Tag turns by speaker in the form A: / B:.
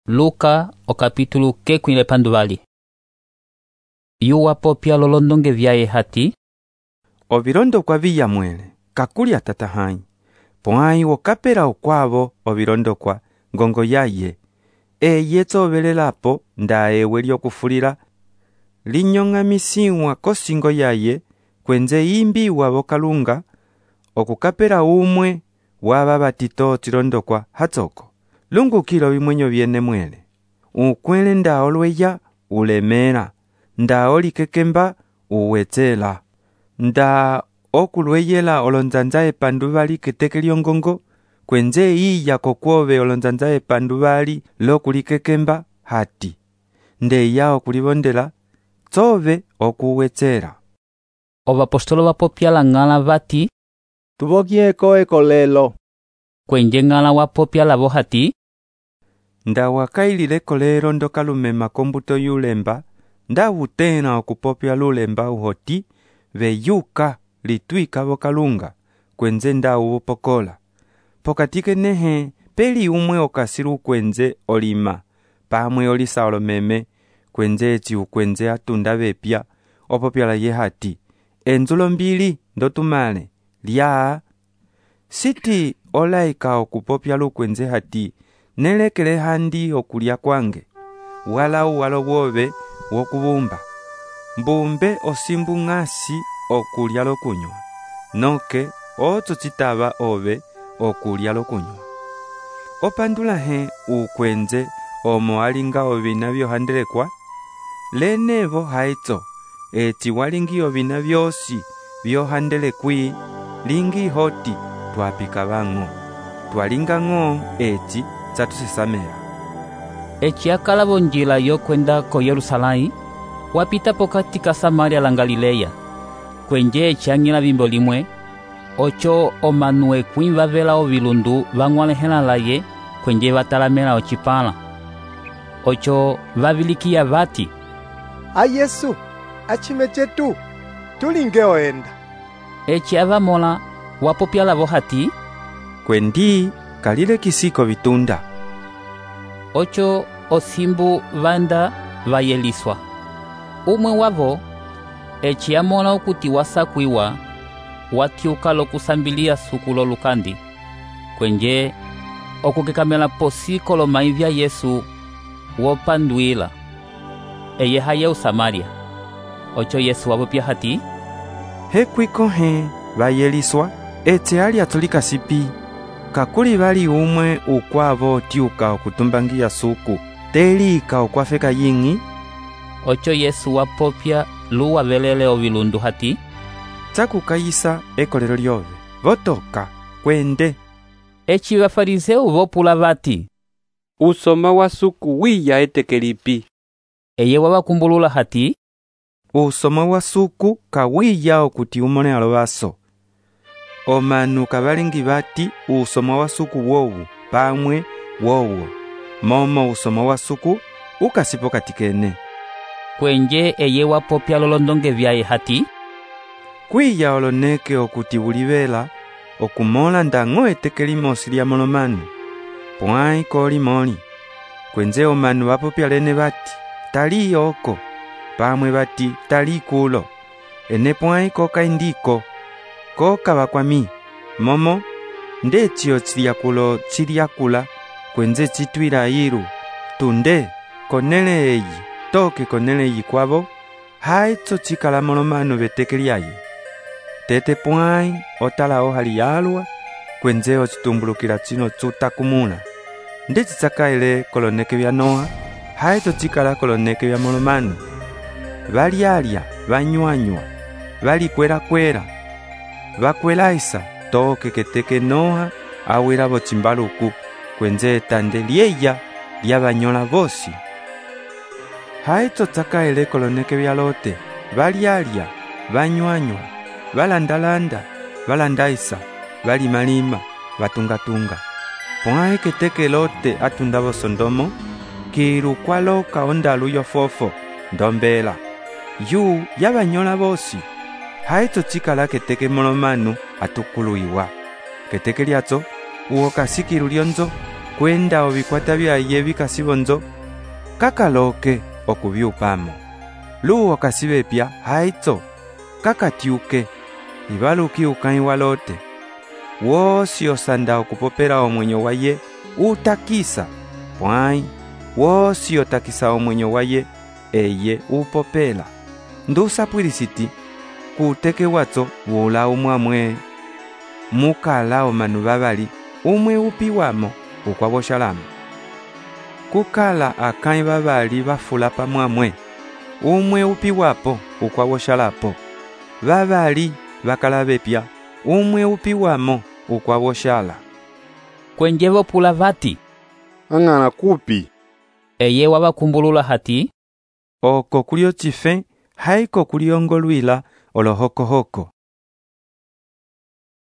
A: Luka okapítulo kekwile panduvali. Yuwa popya lolondonge vyaye hati:
B: Ovilondokwa viyamwele, kakulya tatahãyi. Pwãyi wokapela ukwavo ovilondokwa ngongo yaye. Eye tsovelelapo nda ewe lyokufulila. Linyong'amisiwa kosingo yaye, kwenze yimbiwa vokalunga, okukapela umwe wava vatito tsilondokwa hatsoko. Lungukilo vimwenyo vyene mwele. Ukwele nda olweya ulemela. Nda olikekemba uwetsela. Nda okulweyela olonzanza epanduvali keteke lyongongo, kwenze iya kokwove olonzanza epanduvali lokulikekemba hati. Ndeya okulivondela, tsove okuwetsela.
A: Ovapostolo vapopya lang'ala vati:
C: Tuvokieko ekolelo.
A: Kwenje ng'ala wapopya lavo hati:
B: Nda wakailile kolelo ndokalumema kombuto yulemba, nda wutena okupopya lulemba uhoti, veyuka litwika vokalunga, kwenze nda uvupokola. Pokatike nehe, peli umwe okasilu kwenze olima, pamwe olisa olomeme, kwenze eti ukwenze atunda vepya, opopyala ye hati: Enzulo mbili ndotumale, lyaa. Siti olaika okupopya lukwenze hati: Nelekele handi okulya kwange, wala uwalo wove wokubumba. Mbumbe osimbu ng'asi okulya lokunywa, noke otso citava ove okulya lokunywa. Opandula he ukwenze omo alinga ovina vyohandelekwa, lenevo haitso, eti walingi ovina vyosi vyohandelekwi, lingi hoti twapika vang'o, twalinga ng'o eti tsatusesamela.
A: Eci akalavo njila yokwenda ko Yerusalai, wapita pokati ka Samaria la Galileya. Kwenje eci ang'ila vimbo limwe, ocho omanu ekwĩ vavela ovilundu vang'walehela laye kwenje vatalamela ocipãla. Ocho vavilikiya vati:
C: A Yesu, acime cetu, tulinge oenda.
A: Eci avamola wapopya lavo hati:
B: Kwendi kalile kisiko vitunda.
A: Ocho osimbu vanda vayeliswa. Umwe wavo, eci amola okuti wasakwiwa, watyuka lokusambilia suku lolukandi, kwenje okukekamela posiko lomai vya Yesu wopandwila. Eye haye Samaria. Ocho Yesu wapopya hati:
B: Hekwiko he vayeliswa, etse ali atulika sipi. Kakuli vali umwe ukwavo tyuka okutumbangiya suku, telika okwafeka ying'i.
A: Ocho Yesu wapopya luwavelele ovilundu hati:
B: Tsakukayisa ekolelo lyove, votoka, kwende.
A: Eci vafariseu vopula vati:
B: Usoma wa suku wiya eteke lipi.
A: Eye wavakumbulula hati:
B: Usoma wa suku kawiya okuti umone alovaso. Omanu kavalingi vati usoma wa suku wowu, pamwe wowo. Momo usoma wa suku ukasipo katikene.
A: Kwenje eye wapopya lolondonge vyaye hati:
B: Kwiya oloneke okuti ulivela, okumola ndang'o eteke limosi lya molomanu. Pwãyi kolimoli. Kwenze omanu vapopya lene vati: Tali oko, pamwe vati tali kulo. Ene pwãyi koka indiko, koka vakwami. Momo, ndetio tsiliakulo tsiliakula, kwenze tsitwila ilu. Tunde, konele eyi, toke konele eyi kwavo, haitso tsikala molomanu veteke lyaye. Tete pwãyi otala ohali yalwa, kwenze ocitumbulukila tsino tsutakumula. Ndetsi tsakaile koloneke vya Noa, haitso tsikala koloneke vya molomanu. Valyalya, vanywanywa, valikwela-kwela, vakwelaisa toke keteke Noa awela vocimbaluku, kwenze etande lyeya lyavanyola vosi. Haitso tsakaile koloneke vya Lote, valyalya, vanywanywa, valandalanda, valandaisa, valimalima, vatungatunga. Pwãyi keteke Lote atunda vo Sodomo, kilu kwaloka ondalu yofofo, ndombela. Yu yavanyola vosi. Haitso tsikala keteke molomanu atukuluiwa. Keteke lyatso, uokasikilu lyonzo, kwenda ovikwata byaye vikasivonzo kakaloke okubyupamo. Luwo kasibepya haitso kakatyuke ibaluki ukãyi walote. Wosi osanda okupopela omwenyo waye utakisa pwãyi, wosi otakisa omwenyo waye eye upopela. Ndusapwilisiti kuteke watso wula umwamwe. Mukala omanu babali umwe upiwamo ukwaboshalamo. Kukala akãyi babali bafula pamwamwe, umwe upiwapo ukwaboshalapo. Babali bakala bepya, umwe upiwamo ukwaboshala.
A: Kwenje bopula vati,
C: ang'ana kupi?
A: eye wabakumbulula hati,
B: oko kuli ocife haiko kuliongo lwila olohokohoko.